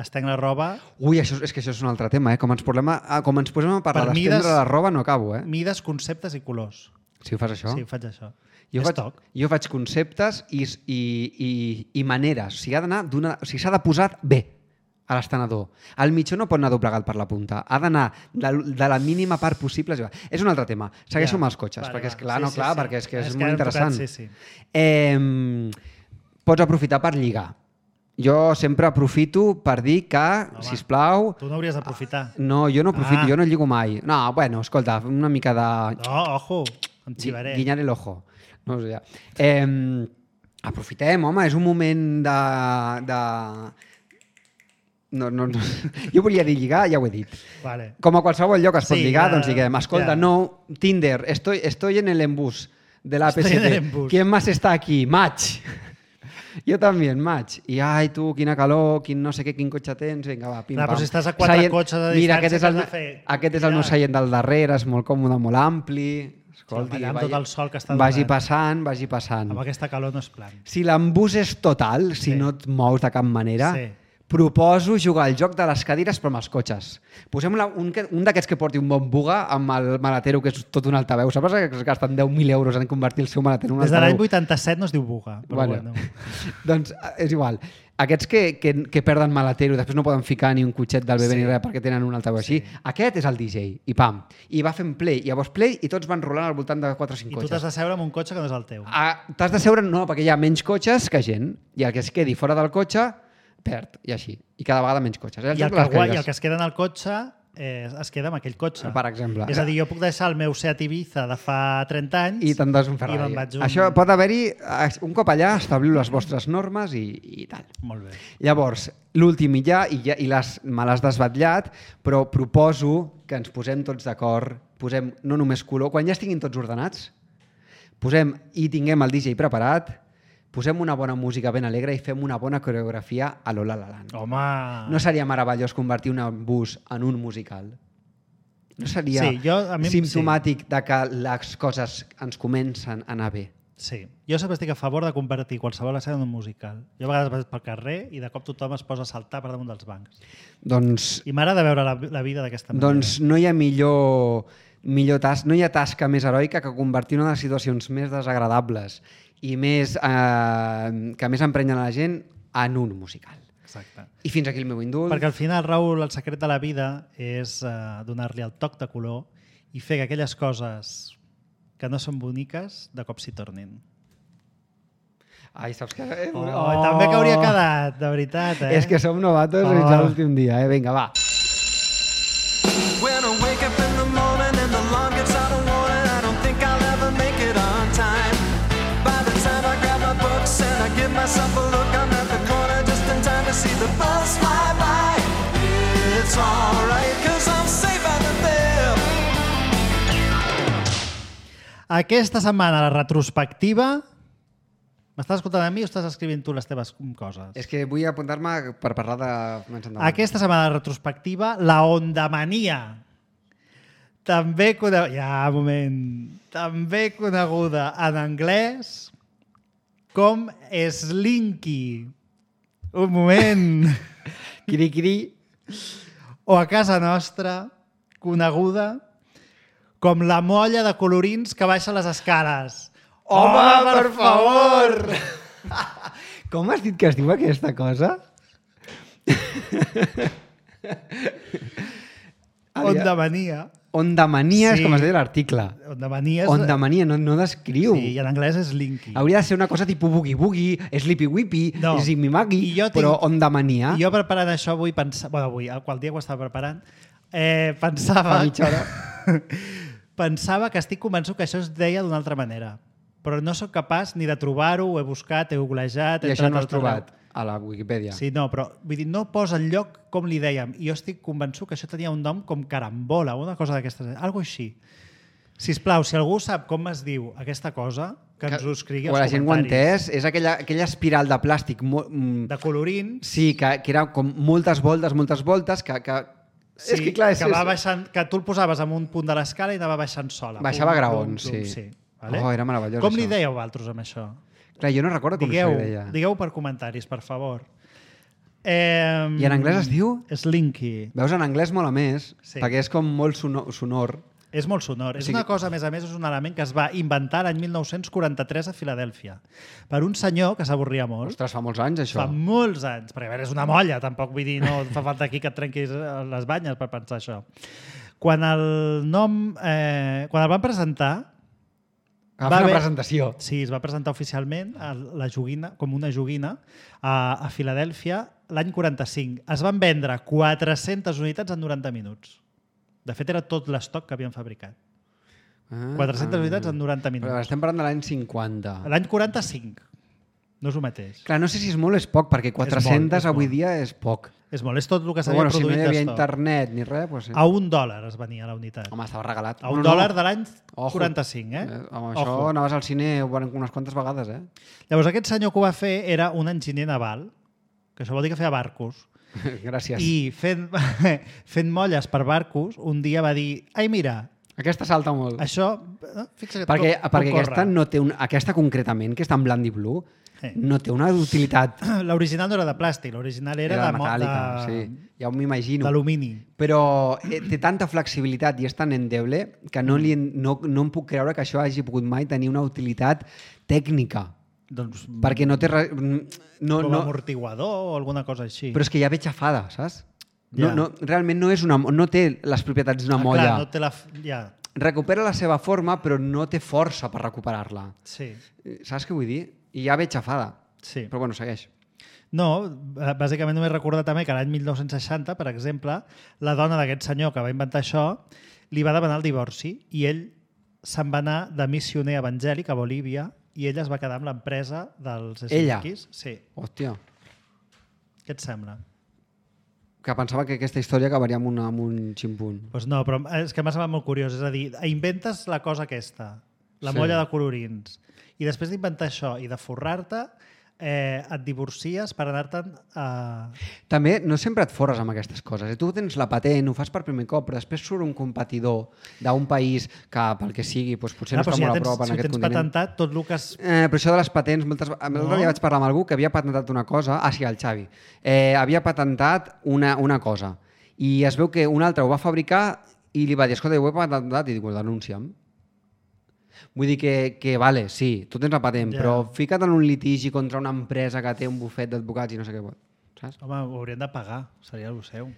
estenc la roba, Ui, això, és que això és un altre tema, eh? Com ens, posem a, com ens posem a parlar Per d'estendre mides- la roba no acabo, eh? mides, conceptes i colors. Si ho fas això. Sí, faig això. Jo És faig, toc. jo faig conceptes i, i, i, i maneres. O sigui, ha d'anar d'una... O sigui, s'ha de posar bé a l'estenedor. El mitjó no pot anar doblegat per la punta. Ha d'anar de, de la mínima part possible. És un altre tema. Segueixo Ja. amb els cotxes, Vale, perquè és va. clar, Sí, no, sí, clar, sí. perquè és que és, És que molt hem tocat, interessant. sí, sí. Eh, pots aprofitar per lligar. Jo sempre aprofito per dir que, Home, sisplau... Tu no hauries d'aprofitar. No, jo no aprofito, Ah. jo no lligo mai. No, bueno, escolta, una mica de... No, ojo, em xivaré. Gui- Guinyar el ojo. No ho sé. Ja. Eh, aprofitem, home, és un moment de... de... No, no, no. Jo volia dir lligar, ja ho he dit. Vale. Com a qualsevol lloc es pot Sí, lligar, ja, doncs lliguem. Escolta, ja. no, Tinder, estoy, estoy en el embús de la Estoy en el A P S T. embús. ¿Quién más está aquí? Match. Jo també, match. I ai, tu, quina calor, quin no sé què, quin cotxe tens, vinga, va, pim, Clar, pam. però si estàs a quatre Seient- cotxes de Mira, distància, aquest és el, què has de fer? aquest és el meu Mira. seient del darrere, és molt còmode, molt ampli. Escolti, allà amb tot el sol que està vagi donant. passant, vagi passant. Amb aquesta calor no és plan. Si l'embús és total, si Sí. no et mous de cap manera, Sí. proposo jugar al joc de les cadires però amb els cotxes. Posem la, un, que- un d'aquests que porti un bon buga amb el maletero que és tot un altaveu. Saps que es gasten deu mil euros en convertir el seu maletero en un Des de l'any altaveu? vuitanta-set no es diu buga, però Bueno. bueno. Doncs eh, és igual. Aquests que, que, que perden maletero i després no poden ficar ni un cotxet del bebè Sí. ni res perquè tenen un altaveu Sí. així, aquest és el D J. I pam. I va fent play. I llavors play i tots van rolant al voltant de quatre o cinc I tu cotxes. t'has de seure en un cotxe que no és el teu. Ah, T'has de seure, no, perquè hi ha menys cotxes que gent. I el que es quedi fora del cotxe, perd. I així. I cada vegada menys cotxes. Eh? I el, que, gua- I el que es queda en el cotxe eh, es queda amb aquell cotxe. Per exemple. És a dir, jo puc deixar el meu Seat Ibiza de fa trenta anys I te'n das un i Ferrari. me'n vaig un... Això pot haver-hi, un cop allà, establiu les vostres normes i, i tal. Molt bé. Llavors, l'últim i ja, i, ja, i les, me l'has desvetllat, però proposo que ens posem tots d'acord, posem no només color, quan ja estiguin tots ordenats, posem i tinguem el D J preparat, posem una bona música ben alegre i fem una bona coreografia a l'Ola La Land. Home... No seria meravellós convertir un bus en un musical? No seria Sí, jo, a mi- simptomàtic de que les coses ens comencen a anar bé? Sí. Jo sempre estic a favor de convertir qualsevol escena en un musical. Jo a vegades vaig pel carrer i de cop tothom es posa a saltar per damunt dels bancs. Doncs, I m'agrada veure la, la vida d'aquesta manera. doncs no hi ha millor, millor tas, no hi ha tasca més heroica que convertir una de les situacions més desagradables i més, eh, que més emprenyen a la gent en un musical. Exacte. I fins aquí el meu indult. Perquè al final, Raül, el secret de la vida és eh, donar-li el toc de color i fer que aquelles coses que no són boniques de cop s'hi tornin. Ai, saps que... Eh? Oh, oh. També que hauria quedat, de veritat, eh? És que som novatos oh. fins a l'últim dia, eh? Vinga, va. When I wake up in the morning and the alarm gets out of warning, I don't think I'll ever make it on time. By the time I grab my books and I give myself a look, I'm at the corner just in time to see the bus fly by. It's alright, cause I'm safe out of there. Aquesta setmana, la retrospectiva... M'estàs escoltant a mi o estàs escrivint tu les teves coses? És que vull apuntar-me per parlar de... Aquesta setmana de retrospectiva, la ondamania. També coneguda... Ja, un moment. També coneguda en anglès com Slinky. Un moment. Cri-cri. O a casa nostra, coneguda com la molla de colorins que baixa les escales. Home, per favor! Com has dit que es diu aquesta cosa? Ondamania. Ondamania Sí. és com es deia l'article. Ondamania és... Ondamania no, no descriu. Sí, i en anglès és Slinky. Hauria de ser una cosa tipus boogie-boogie, sleepy-whippy, No. zigmy-maggy, I jo tinc- però ondamania... I jo preparant això avui, pensava... Bueno, avui, qual dia que ho estava preparant, eh, pensava... Fa mitja hora. pensava que estic convençut que això es deia d'una altra manera. Però no sóc capaç ni de trobar-ho, ho he buscat, he googlejat... I he això entrat no al has trobat a la Wikipedia. Sí, no, però vull dir, no posa el lloc com li dèiem. I jo estic convençut que això tenia un nom com carambola, una cosa d'aquestes... Algo així. Sisplau, si algú sap com es diu aquesta cosa, que ens ho escrigui o als la gent ho ha comentaris. entès, és aquella, aquella espiral de plàstic mo, mm, De colorins. sí, que, que era com moltes voltes, moltes voltes, que, que Sí, és que clar, és, que, va és- baixant, que tu el posaves en un punt de l'escala i anava baixant sola. Baixava Pum, graons, pum, pum, sí. sí. Vale? Oh, era meravellós, Com li això. dèieu vosaltres amb això? Clar, jo no recordo com Digueu, se li deia. digueu per comentaris, per favor. Eh, I en anglès es diu? Slinky. Veus, en anglès mola més, Sí. perquè és com molt sonor. sonor. És molt sonor. O És sigui- una cosa, a més a més, és un element que es va inventar l'any mil nou-cents quaranta-tres a Filadèlfia per un senyor que s'avorria molt. Ostres, fa molts anys, això. Fa molts anys, perquè a veure, és una molla, tampoc vull dir, no fa falta aquí que et trenquis les banyes per pensar això. Quan el nom, eh, quan el van presentar, Va va fer una haver- presentació. sí, es va presentar oficialment a la joguina, com una joguina a, a Filadèlfia l'any quaranta-cinc. Es van vendre quatre-centes unitats en noranta minuts. De fet, era tot l'estoc que havien fabricat. Ah, quatre-centes ah. unitats en noranta minuts. Però estem parlant de l'any cinquanta. L'any quaranta-cinc. No és el mateix. Clar, no sé si és molt o és poc, perquè quatre-centes és molt. avui dia és poc. És molt, és tot el que Però s'havia bueno, si no produït hi havia d'estoc. internet ni res, doncs sí. A un dòlar es venia la unitat. Home, estava regalat. A un No, no. dòlar de l'any Ojo. quaranta-cinc, eh? Eh, amb això Ojo. anaves al cine unes quantes vegades, eh? Llavors, aquest senyor que ho va fer era un enginyer naval, que això vol dir que feia barcos, Gràcies. i fent, fent molles per barcos, un dia va dir, ai, mira, Aquesta salta molt. això... eh, Fixa't perquè com, perquè com aquesta, corre. no té un, aquesta concretament, que està en blanc i blu, Sí. no té una utilitat. L'original no era de plàstic, l'original era, Era de, mo- metàl·lica, de, sí. Ja m'ho imagino. d'alumini. Però eh, té tanta flexibilitat i és tan endeble que no, li, no, no em puc creure que això hagi pogut mai tenir una utilitat tècnica. Doncs, Perquè no té... Re... No, com no... amortiguador o alguna cosa així. Però és que ja ve xafada, saps? No, Ja. no, realment no, és una, no té les propietats d'una Ah, molla. Clar, no té la... f- Ja, Recupera la seva forma, però no té força per recuperar-la. sí, Saps què vull dir? I ja ve xafada. sí. Però bueno, segueix. No, b- bàsicament només recordar també que l'any mil nou-cents seixanta, per exemple, la dona d'aquest senyor que va inventar això li va demanar el divorci i ell se'n va anar de missioner evangèlic a Bolívia i ella es va quedar amb l'empresa dels Ella? esquís. Sí. Hòstia, Què et sembla? que pensava que aquesta història acabaria amb, una, amb un ximpunt. Pues no, però és que m'ha semblat molt curiós. És a dir, inventes la cosa aquesta, la Sí. molla de colorins, i després d'inventar això i de forrar-te, eh, et divorcies per anar-te'n a... També no sempre et forres amb aquestes coses. Tu tens la patent, ho fas per primer cop, però després surt un competidor d'un país que, pel que sigui, doncs potser Ah, no però està si ja molt a tens, prop en si aquest tens continent. patentat tot el que es... Eh, però això de les patents, moltes... L'altre No. dia vaig parlar amb algú que havia patentat una cosa, ah sí, el Xavi, eh, havia patentat una, una cosa i es veu que un altre ho va fabricar i li va dir, escolta, ho he patentat, i diu, denuncia'm. Vull dir que, que vale, sí, tu tens la patent, Ja. però fica't en un litigi contra una empresa que té un bufet d'advocats i no sé què pot, saps? Home, ho haurien de pagar, seria el seu.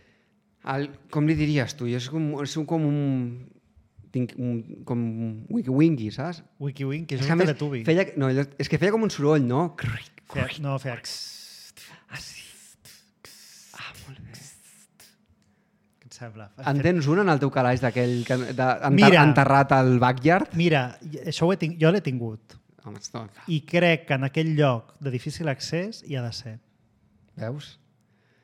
El, com li diries tu? Jo és com, és com un... Tinc un, com un wiki-winky, saps? WikiWinky, És això és que a un més Teletubby. feia, no, allò- és que feia com un soroll, no? Cric, Feia, no, feia... Ah, molt bé. Què et sembla? En tens un en el teu calaix d'aquell que- de, enter, Mira. enterrat al backyard? Mira, això ho he tinc, jo l'he tingut. Home, no, I crec que en aquell lloc de difícil accés hi ha de ser. veus?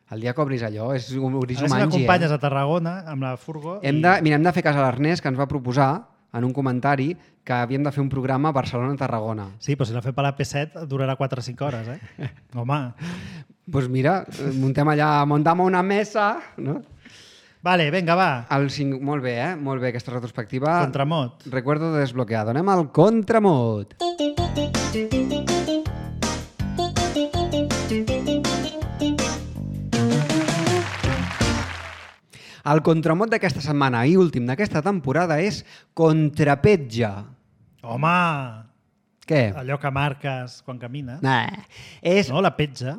El dia que obris allò és un A obris veure si humangi, m'acompanyes eh? a Tarragona amb la furgo. Hem i- de, mira, hem de fer cas a l'Ernest, que ens va proposar en un comentari que havíem de fer un programa a Barcelona-Tarragona. Sí, però si la fem per la P set durarà quatre o cinc hores, eh? Home. Doncs pues mira, muntem allà, montamos una mesa, no? Vale, vinga, va. El cinc... Molt bé, eh? Molt bé, aquesta retrospectiva. Contramot. Recuerdo de desbloqueado. Anem al contramot. El contramot d'aquesta setmana i últim d'aquesta temporada és contrapetja. Home! Què? Allò que marques quan camines. Nah. És, No, la petja.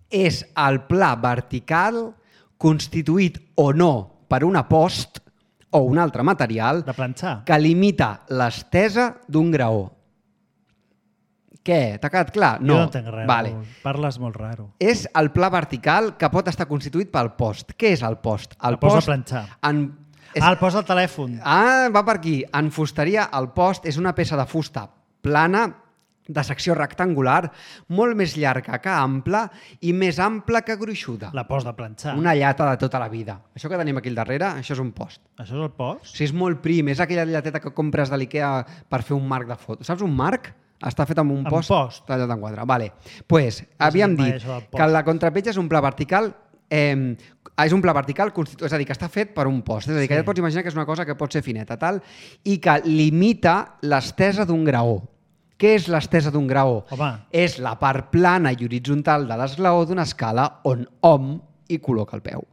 és el pla vertical constituït o no per una post o un altre material De planxar. que limita l'estesa d'un graó. Què? T'ha quedat clar? Jo no entenc res. Vale. Raül. Parles molt raro. És el pla vertical que pot estar constituït pel post. Què és el post? El La posa a planxar. En... És... Ah, el posa al telèfon. Ah, va per aquí. En fusteria, el post és una peça de fusta plana, de secció rectangular, molt més llarga que ampla i més ampla que gruixuda. La posa a planxar. Una llata de tota la vida. Això que tenim aquí al darrere, això és un post. Això és el post? O sigui, és molt prim, és aquella llateta que compres de l'Ikea per fer un marc de foto. Saps un marc? Està fet amb un Amb post, post. tallat en quatre. Vale. Pues, havíem mai dit això del post. que la contrapetja és un pla vertical eh, és un pla vertical, constitu... és a dir, que està fet per un post. És a dir, que Sí. ja et pots imaginar que és una cosa que pot ser fineta, tal, i que limita l'estesa d'un graó. Què és l'estesa d'un graó? Home. És la part plana i horitzontal de l'esglaó d'una escala on hom hi col·loca el peu.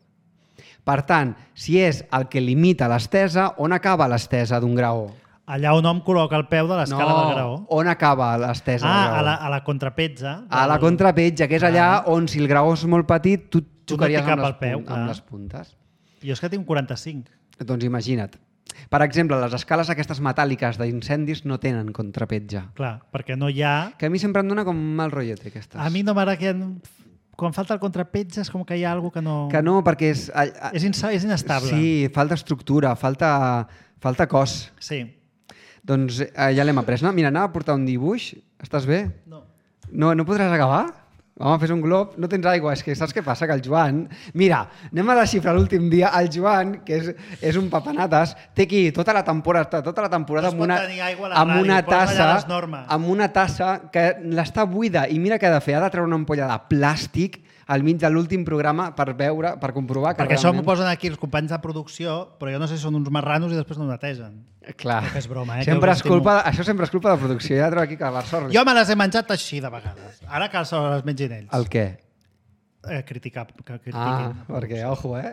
Per tant, si és el que limita l'estesa, on acaba l'estesa d'un graó? Allà on hom col·loca el peu de l'escala no, del graó. on acaba l'estesa del Ah, graó? a la, a la contrapetja. A la del- contrapetja, que és allà on si el graó és molt petit, tu Tu no xocaries t'hi cap amb, les al peu, punt- clar. amb les puntes. Jo és que tinc quaranta-cinc. Doncs imagina't. Per exemple, les escales aquestes metàl·liques d'incendis no tenen contrapetja. Clar, perquè no hi ha... Que a mi sempre em dona com mal rotllet, aquestes. A mi no m'agrada que... Quan falta el contrapetja és com que hi ha alguna que no... Que no, perquè és... a- a- És, insa... és inestable. Sí, falta estructura, falta, falta cos. Sí. Doncs eh, ja l'hem après. No? Mira, anava a portar un dibuix. Estàs bé? No. No, no podràs acabar? Home, fes un glob, no tens aigua. És que saps què passa? Que el Joan... Mira, anem a desxifrar l'últim dia. El Joan, que és, és un papanates, té aquí tota la temporada, tota la temporada No es amb pot una, tenir aigua a la amb ràdio, una posa allà tassa, les normes. amb una tassa que l'està buida. I mira què ha de fer. Ha de treure una ampolla de plàstic al mig de l'últim programa per veure, per comprovar que Perquè això m'ho realment... posen aquí els companys de producció, però jo no sé si són uns marranos i després no ho netegen. Clar. Que és broma, eh, que Sempre us és estimo. culpa, això sempre és culpa de producció. Ja trobo aquí que la sort... Jo me les he menjat així de vegades. Ara que se les mengin ells. El què? Eh, criticar, que critiquin. Ah, perquè, ojo, eh?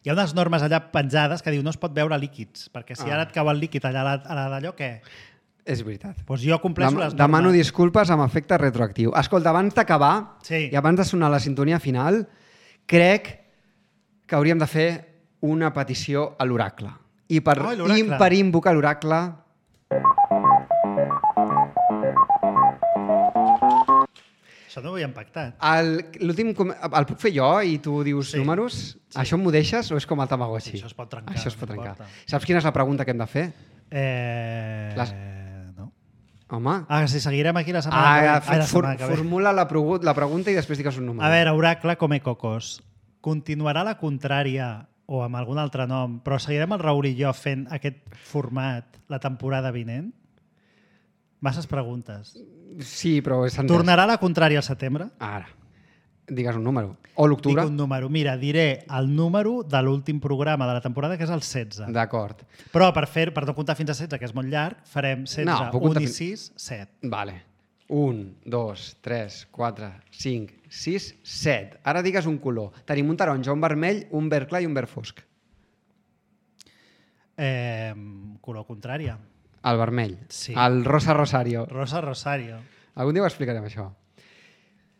Hi ha unes normes allà penjades que diu no es pot veure líquids, perquè si Ah. ara et cau el líquid allà a la- a la d'allò, què? És veritat. Doncs jo compleixo Dem les normes. demano disculpes amb efecte retroactiu. Escolta, abans d'acabar Sí. i abans de sonar la sintonia final, crec que hauríem de fer una petició a l'oracle. I per, Ai, l'oracle. i per invocar l'oracle... Això no ho havíem pactat. El- L'últim... com- El puc fer jo i tu dius Sí. números? Sí. Això m'ho deixes o és com el Tamagotchi? Sí, això es pot trencar, Això es pot no trencar. importa. Saps quina és la pregunta que hem de fer? Eh... Les- No. Home... Ah, sí, seguirem aquí la setmana Ah, que ve. for, Ai, la setmana que ve. formula la, pregu- la pregunta i després digues un número. A veure, Oracle Come Cocos. Continuarà la contrària o amb algun altre nom, però seguirem el Raül i jo fent aquest format la temporada vinent? Masses preguntes. Sí, però és entès. Tornarà la contrària al setembre? Ara. Digues un número. O l'octubre. Dic un número. Mira, diré el número de l'últim programa de la temporada, que és el setze. D'acord. Però per fer per no comptar fins a setze, que és molt llarg, farem setze, No, puc un comptar i fins- sis, set. Vale. Un, dos, tres, quatre, cinc, sis, set. Ara digues un color. Tenim un taronja, un vermell, un verd clar i un verd fosc. Eh, color contrària. El vermell. Sí. El rosa rosario. Rosa Rosario. Algun dia ho explicarem, això.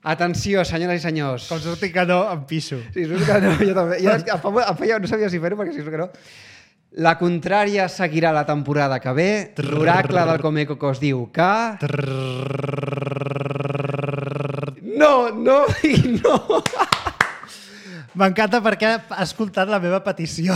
Atenció, senyores i senyors. Com surti que no, em pixo. Sí, surti que no, jo també. Jo, em fa, em feia, no sabia si fer-ho perquè si surt que no. La contrària seguirà la temporada que ve. L'oracle del Comeco es diu que... No, no i no. M'encanta perquè ha escoltat la meva petició.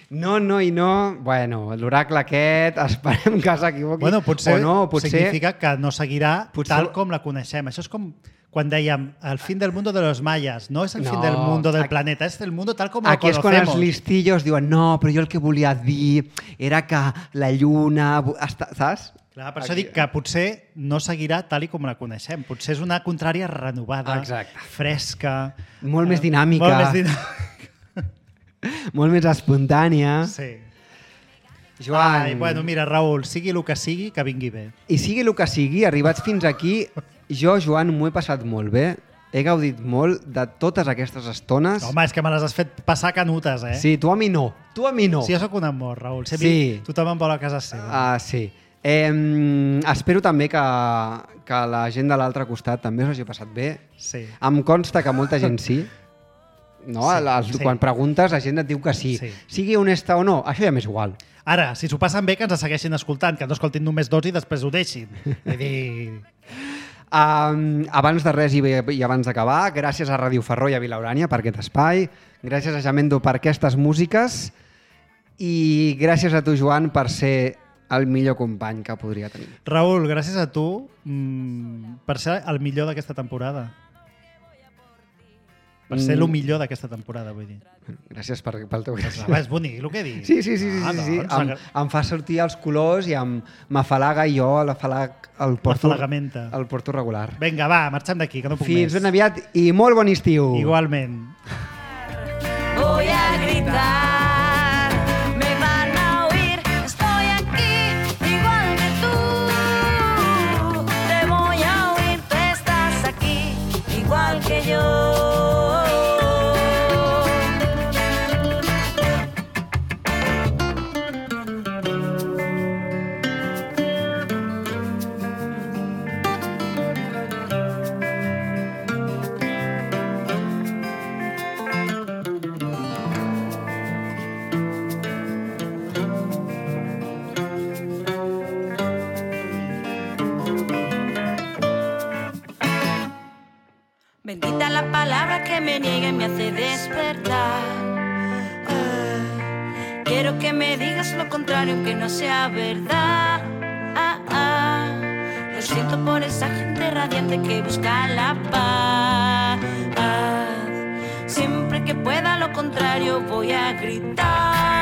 No, no i no. Bueno, l'oracle aquest, esperem que s'equivoqui. Bueno, potser, o no, potser... significa que no seguirà Potser- tal com la coneixem. Això és com quan dèiem el fin del mundo de los mayas. No és el No, fin del mundo del aquí- planeta, és el mundo tal com lo Aquí és quan conocemos. els listillos diuen no, però jo el que volia dir era que la lluna... Està, saps? Clar, per això Aquí- dic que potser no seguirà tal i com la coneixem. Potser és una contrària renovada, Exacte. fresca... Molt eh, més dinàmica. Molt més dinàmica. Molt més espontània. Sí. Joan, Ai, bueno, mira, Raül, sigui el que sigui, que vingui bé. i sigui el que sigui, arribats fins aquí, jo, Joan, m'ho he passat molt bé. He gaudit molt de totes aquestes estones. Home, és que me les has fet passar canutes, eh? Sí, tu a mi no. Tu a mi no. Sí, jo sóc un amor, Raül. Si a Sí. mi tothom em vol a casa seva. Ah, sí. Eh, espero també que, que la gent de l'altre costat també us hagi passat bé. Sí. Em consta que molta gent sí. No? Sí, Sí, els, sí. Quan preguntes, la gent et diu que sí. Sí. Sigui honesta o no, això ja m'és igual. Ara, si s'ho passen bé, que ens segueixin escoltant, que no escoltin només dos i després ho deixin. Vull dir... Um, abans de res i, i abans d'acabar, gràcies a Ràdio Ferró i a Vilaurània per aquest espai, gràcies a Jamendo per aquestes músiques i gràcies a tu, Joan, per ser el millor company que podria tenir. Raül, gràcies a tu mmm, per ser el millor d'aquesta temporada. Per ser Mm. el millor d'aquesta temporada, vull dir. Gràcies per, pel teu gràcies. Ah, és bonic el que he dit. Sí, sí, sí, sí, Ah, sí, sí. doncs, Em, em fa sortir els colors i em m'afalaga i jo l'afalag el porto, L'afalagamenta. el porto regular. Vinga, va, marxem d'aquí, que no puc Fins més. ben aviat i molt bon estiu. Igualment. Voy a gritar, me van a oír, estoy aquí, igual que tú. Te voy a oír, tú estás aquí, igual que yo. Bendita la palabra que me niega y me hace despertar. Ah, quiero que me digas lo contrario, aunque no sea verdad. Ah, ah, lo siento por esa gente radiante que busca la paz. Siempre que pueda lo contrario voy a gritar.